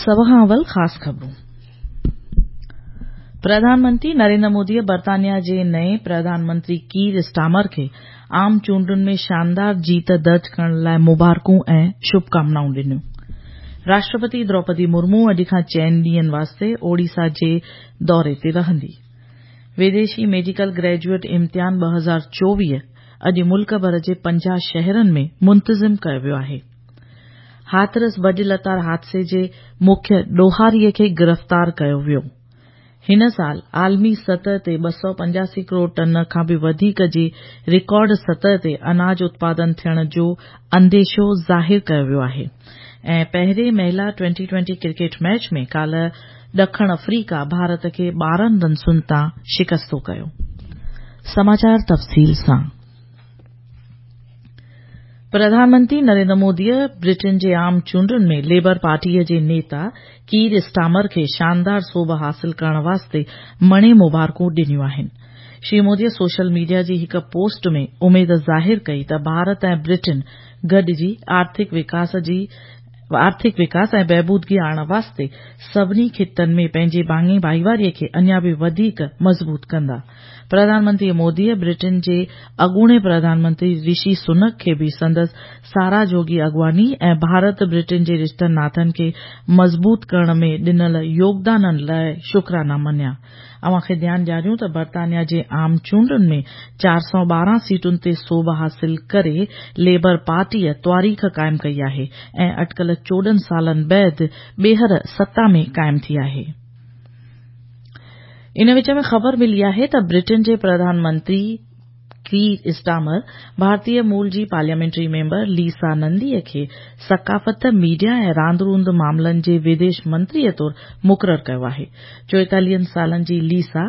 سڀ کان اول خاص خبرون. پرڌان منتري نريندر موديء برطانيا جي نئين پرڌان منتري ڪير اسٽارمر کي عام چونڊن ۾ شاندار جيت درج ڪرڻ لاء مبارڪون ۽ شڀڪامنائون ڏنيون. راشٽرپتي دروپدي مرمو اڄ کان چئن ڏينهن واسطي اوڙيسا جي دوري تي رهندي. وديشي ميڊيڪل گريجوئيٽ امتحان 2024 اڄ ملڪ ڀر جي 50 شهرن ۾ منتظم ڪيو ويو آهي. هاٿرس ڀڄ لتاڙ حادثي جي مکيه ڏوهاري کي گرفتار ڪيو ويو. هن سال عالمي سطح تي 285 ڪروڙ ٽن کان به وڌيڪ جي رڪارڊ سطح تي اناج اتپادن ٿيڻ جو انديشو ظاهر ڪيو ويو آهي ۽ پهرين مهلا ٽوئنٽي ٽوئنٽي ڪرڪيٽ ميچ ۾ ڪالهه ڏکڻ آفريڪا ڀارت کي 12 رنسن تان شڪستو ڪيو. سماچار تفصيل سان پرڌان منتري نريندر موديء برٽن جي عام چونڊن ۾ ليبر پارٽيء جي نيتا ڪير اسٽارمر کي شاندار سوڀ حاصل ڪرڻ واسطي مڻي مبارڪون ڏنيون آهن. شري موديء سوشل ميڊيا جي هڪ پوسٽ ۾ اميد ظاهر ڪئي ته ڀارت ۽ برٽن گڏجي آرٿڪ وڪاس جي آرٿڪ وڪاس ۽ بهبودگي آڻڻ واسطي سڀني خطن ۾ پنهنجي ڀاڱي ڀائيواري کي اڃا به وڌيڪ مضبوط ڪندا. پرڌان منتري موديء برٽن جي اڳوڻي پرڌان منتري رشي سنڪ کي به سندس ساراهه جوڳي اڳواڻي ۽ ڀارت برٽن جي رشتن ناتن کي مضبوط ڪرڻ ۾ ڏنل يوگدانن لاء شڪرانا مڃيا. اوهان کي ڌيان ڏياريون ته برطانيا جي عام چونڊن ۾ 412 سيٽن تي سوڀ حاصل ڪري ليبر پارٽيء تواريخ قائم ڪئي آهي ۽ اٽڪل 14 سالن بعد ٻيهر ستا ۾ قائم ٿي آهي. ان وچ ۾ خبر ملي آهي ته برٽن جي پرڌان منتري ڪير اسٽارمر ڀارتي مول جي پارليامينٽري ميمبر ليسا نندي کي ثقافت، ميڊيا ۽ راند روند معاملن جي وديش منتريء طور مقرر ڪيو آهي. 44 سالن جي ليسا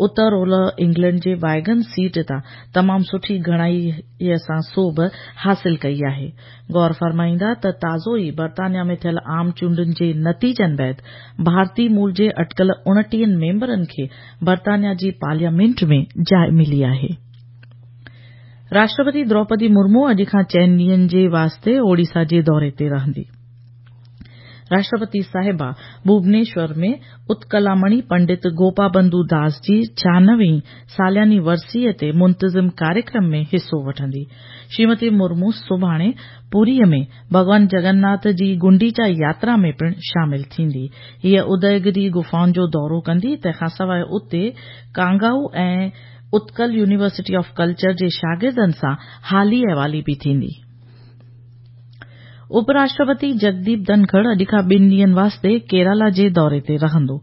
اتر اولهه انگلينڊ جي وائگن سيٽ تان تمام سٺي گهڻائيء سان سوڀ حاصل ڪئي آهي. غور فرمائيندا ته تازو ئي برطانيا ۾ ٿيل عام چونڊن جي نتيجن بعد ڀارتي مول جي اٽڪل 29 ميمبرن کي برطانيا جي پارليامينٽ ۾ جاء ملي آهي. راشٽرپتي دروپدي مرمو اڄ کان چئن ڏينهن جي واسطي اوڙيسا جي دوري تي رهندي. راشٽرپتي صاحبه ڀوبنيشور ۾ اتڪلامڻي پنڊت گوپابنڌو داس جي 96 هين سالياني ورسيء تي منتظم ڪاريڪرم ۾ حصو وٺندي. شريمتي مرمو سڀاڻي پوريء ۾ ڀڳوان جگناٿ جي گنڊيچا ياترا ۾ پڻ شامل ٿيندي. هيء اديگري غفائن جو دورو ڪندي، تنهن کان سواء اتي ڪانگائو ۽ اتڪل يونيورسٽي آف ڪلچر جي شاگردن سان حالي احوالي به ٿيندي. اپ راشٽرپتي جگديپ ڌنکڙ اڄ کان ٻن ڏينهن واسطي ڪيرالا جي دوري تي رهندو.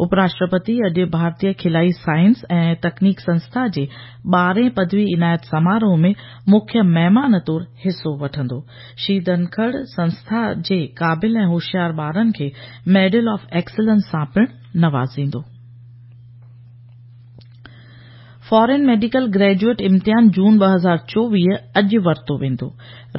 اپ راشٽرپتي اڄ ڀارتيه کلائي سائنس ۽ تڪنيڪ سنسٿا جي ٻارهين پدوي عنايت سماروهه ۾ مکيه مهمان طور حصو وٺندو. شري ڌنکڙ سنسٿا جي قابل ۽ هوشيار ٻارن کي ميڊل آف ايڪسلنس سان پڻ نوازيندو. فارين ميڊيڪل گريجوئيٽ امتحان جون 2024 اڄ ورتو ويندو.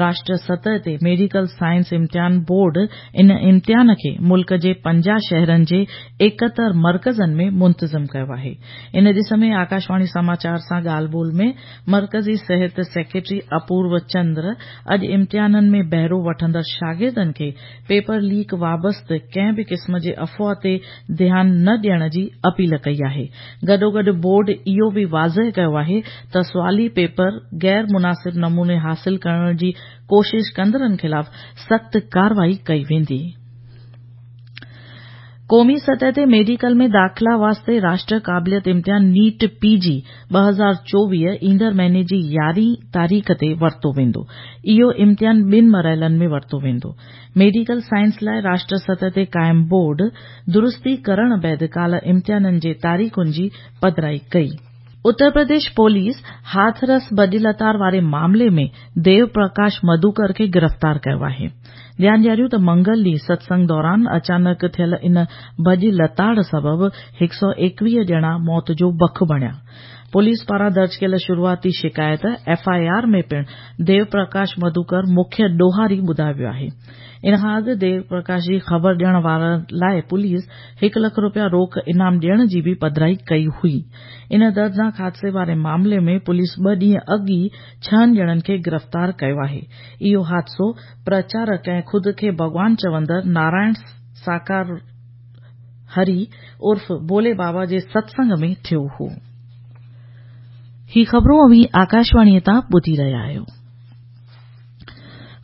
راشٽر سطح تي ميڊيڪل سائنس امتحان بورڊ ان امتحان کي ملڪ جي 50 شهرن جي 71 مرڪزن ۾ منتظم ڪيو آهي. ان ڏس ۾ آڪاشواڻي سماچار سان ڳالهه ٻولهه ۾ مرڪزي صحت سيڪريٽري اپورو چندر اڄ امتحانن ۾ بهرو وٺندڙ شاگردن کي پيپر ليڪ وابسته ڪنهن به قسم جي افواهه تي ڌيان نه ڏيڻ جي اپيل ڪئي آهي. گڏوگڏ بورڊ اهو به واضح ڪيو آهي ته سوالي پيپر غير مناسب نموني حاصل ڪرڻ جي ڪوشش ڪندڙن خلاف سخت ڪارروائي ڪئي ويندي. قومي سطح تي ميڊيڪل ۾ داخلا واسطي راشٽر قابليت امتحان نيٽ پي جي 2024 ايندڙ مهيني جي 11 هين تاريخ تي ورتو ويندو. اهو امتحان ٻن مرحلن ۾ ورتو ويندو. ميڊيڪل سائنس لاء راشٽر سطح تي قائم بورڊ درستي ڪرڻ بعد ڪالهه امتحانن جي تاريخن جي پڌرائي ڪئي. اتر پرديش پوليس هاٿرس ڀڄ لتاڙ واري معاملي ۾ ديو پرڪاش مڌوڪر کي گرفتار ڪيو آهي. ڌيان ڏياريون ته منگل ڏينهن ستسنگ دوران اچانڪ ٿيل ان ڀڄ لتاڙ سبب 121 ڄڻا موت جو بک بڻيا. پوليس پاران درج ڪيل شروعاتي شڪايت، ايف I R, ۾ پڻ ديو پرڪاش مڌوڪر مکيه ڏوهاري ٻڌايو ويو آهي. ان کان اڳ ديو پرڪاش جي خبر ڏيڻ وارن لاء پوليس هڪ لک روپيا روڪ انعام ڏيڻ جي به پڌرائي ڪئي هئي. ان دردناڪ حادثي واري معاملي ۾ پوليس ٻه ڏينهن اڳ ئي ڇهن ڄڻن کي گرفتار ڪيو آهي. اهو حادثو پرچارڪ ۽ خود کي ڀڳوان چوندڙ نارائڻ ساڪار هري عرف ڀولي بابا جي ستسنگ ۾ ٿيو هو. هي خبرون اوهين آڪاشواڻيء تان ٻڌي رهيا آهيو.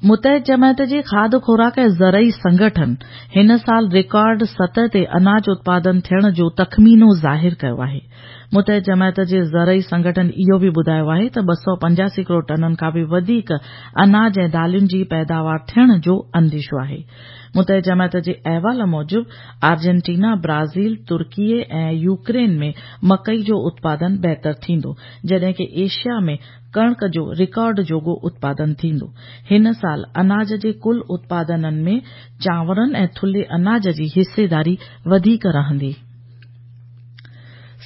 متحد جماعت جي کاڌ خوراڪ ۽ زرعي سنگٺن هن سال رڪارڊ سطح تي اناج اتپادن ٿيڻ جو تخمينو ظاهر ڪيو آهي. متحد جماعت جي زرعي سنگٺن اهو به ٻڌايو آهي ته 285 ڪروڙ ٽنن کان به وڌيڪ اناج ۽ دالين جي پيداوار ٿيڻ جو انديشو آهي. متحد جماعت جي احوال موجب آرجنٽينا، برازيل، ترڪي ۽ يوڪرين ۾ مڪئي جو اتپادن بهتر ٿيندو، جڏهن ڪه ايشيا ۾ ڪڻڪ جو رڪارڊ جوڳو اتپادن ٿيندو. هن سال اناج جي ڪل اتپادنن ۾ چانورن ۽ ٿلهي اناج جي حصيداري وڌيڪ رهندي.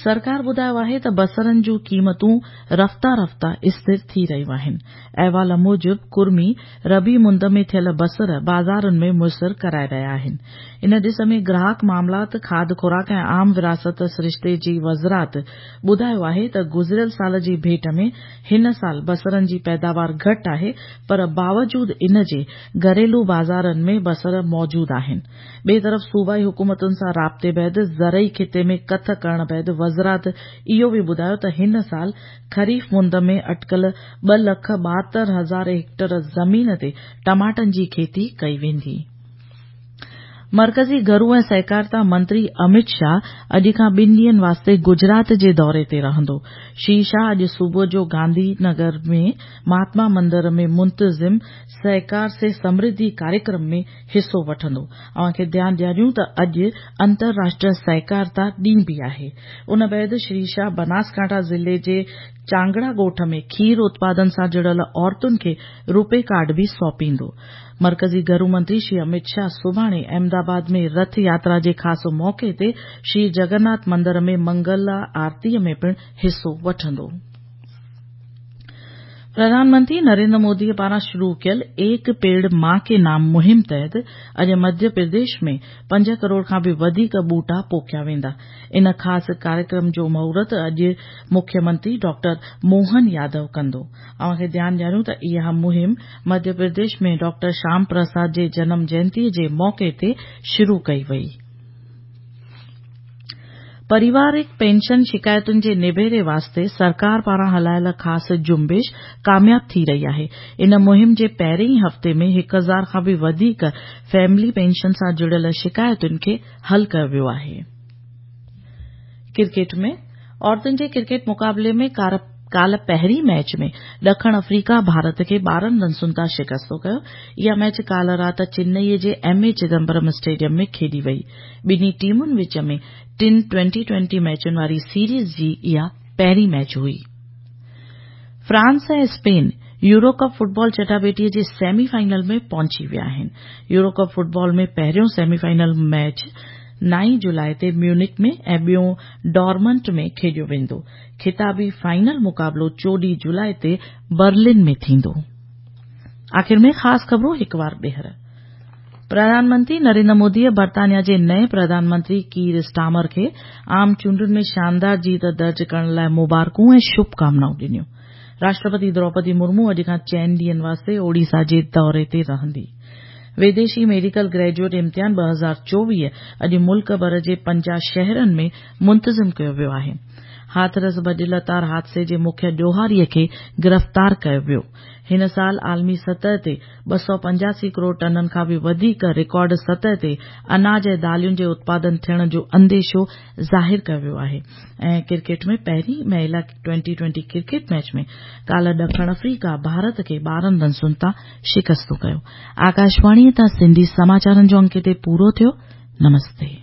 سرڪار ٻڌايو آهي ته بصرن جون قيمتون رفته رفته اسٿر ٿي رهيون آهن. احوال موجب ڪرمي ربيع مند ۾ ٿيل بصر بازارن ۾ ميسر ڪرائي رهيا آهن. ان ڏس ۾ گراهڪ معاملات، کاڌ خوراڪ ۽ عام ورهاست سرشتي جي وزارت ٻڌايو آهي ته گذريل سال جي ڀيٽ ۾ هن سال بصرن جي پيداوار گهٽ آهي پر باوجود ان جي گهريلو بازارن ۾ بصر موجود آهن. ٻئي طرف صوبائي حڪومتن سان رابطي بعد زرعي کاتي ۾ ڪٿ ڪرڻ بعد وزارت اهو به ٻڌايو ته هن سال خريف مند ۾ اٽڪل ٻه لک 72 هزار هيڪٽر زمين تي ٽماٽن جي کيتي ڪئي ويندي. مرڪزي گهرو ۽ سهڪارتا منتري امت شاهه اڄ کان ٻن ڏينهن واسطي گجرات جي دوري تي رهندو. شري شاهه اڄ صبح جو گانڌي نگر ۾ مهاتما مندر ۾ منتظم سهڪار سي سمرڌي ڪاريڪرم ۾ حصو وٺندو. اوهان کي ڌيان ڏياريون ته اڄ انترراشٽريه سهڪارتا ڏينهن به آهي. ان بعد شري شاهه بناسڪانٺا ضلعي جي چانگڙا ڳوٺ ۾ کير اتپادن سان جڙيل عورتن کي روپي ڪارڊ به سونپيندو. مرڪزي گهرو منتري شري امت شاهه سڀاڻي احمد آباد ۾ رٿ ياترا جي خاص موقعي تي شري جگناٿ مندر ۾ منگلا آرتي ۾ پڻ حصو وٺندو. پرڌان منتري نريندر مودي پاران شروع ڪيل ايڪ پيڙ مان ڪي نام مهم تحت اڄ مڌيه پرديش ۾ پنج ڪروڙ کان به وڌيڪ ٻوٽا پوکيا ويندا. ان خاص ڪاريڪرم جو مهورت اڄ مکيه منتري ڊاڪٽر موهن يادو ڪندو. اوهان کي ڌيان ڏياريون ته اها مهم مڌيه پرديش ۾ ڊاڪٽر شيام پرساد جي جنم جينتي جي موقعي تي شروع ڪئي وئي. پريوارڪ پينشن شڪايتن جي نبيري واسطي سرڪار پاران هلايل خاص جنبش ڪامياب ٿي رهي آهي. ان مهم جي پهرين ئي هفتي ۾ هڪ هزار کان به وڌيڪ فيملي پينشن سان جڙيل شڪايتن کي حل ڪيو ويو آهي. ڪرڪيٽ ۾ عورتن جي ڪرڪيٽ مقابلي ۾ ڪالهه پهرين ميچ ۾ ڏکڻ آفريڪا ڀارت کي 12 رنسن تان شڪست ڪيو. اها ميچ ڪالهه رات چنئي جي ايم اي چدمبرم اسٽيڊيم ۾ کيڏي وئي. ٻنهي ٽيمن وچ ۾ ٽن ٽوئنٽي ٽوئنٽي ميچن واري سيريز جي اها پهرين ميچ هئي. France ۽ Spain Euro Cup football چٽاڀيٽي جي سيمي فائنل ۾ پهچي ويا آهن. يورو ڪپ فٽبال ۾ پهريون سيمي فائنل ميچ 9 جولاء تي ميونڪ ۾ ۽ ٻيون ڊارمنٽ ۾ کيڏيو ويندو. خطابي فائنل مقابلو 14 جولاء تي برلن ۾ ٿيندو. آخر ۾ خاص خبرون هڪ وار ٻيهر. پرڌان منتري نريندر موديء برطانيا جي نئين پرڌان منتري ڪير اسٽارمر کي عام چونڊن ۾ شاندار جيت درج ڪرڻ لاء مبارڪون ۽ شڀ ڪامنائون ڏنيون. راشٽرپتي دروپدي مرمو اڄ کان چئن ڏينهن واسطي اوڙيسا جي دوري تي رهندي. ويديشي ميڊيڪل گريجوئيٽ امتحان 2024 اڄ ملڪ ڀر جي 50 شهرن ۾ منتظم ڪيو ويو آهي. هاٿرس ڀڄ لتاڙ حادثي جي مکيه ڏوهاري کي گرفتار ڪيو ويو. هن سال عالمي سطح تي 285 ڪروڙ ٽنن کان به وڌيڪ رڪارڊ سطح تي اناج ۽ دالين جي اتپادن ٿيڻ جو انديشو ظاهر ڪيو ويو آهي ۽ ڪرڪيٽ ۾ پهرين مهلا ٽوئنٽي ٽوئنٽي ڪرڪيٽ ميچ ۾ ڪالهه ڏکڻ آفريڪا ڀارت کي 12 رنسن تان شڪست ڪيو. آڪاشواڻي تان سنڌي سماچارن جو انڪ هتي پورو ٿيو. نمستي.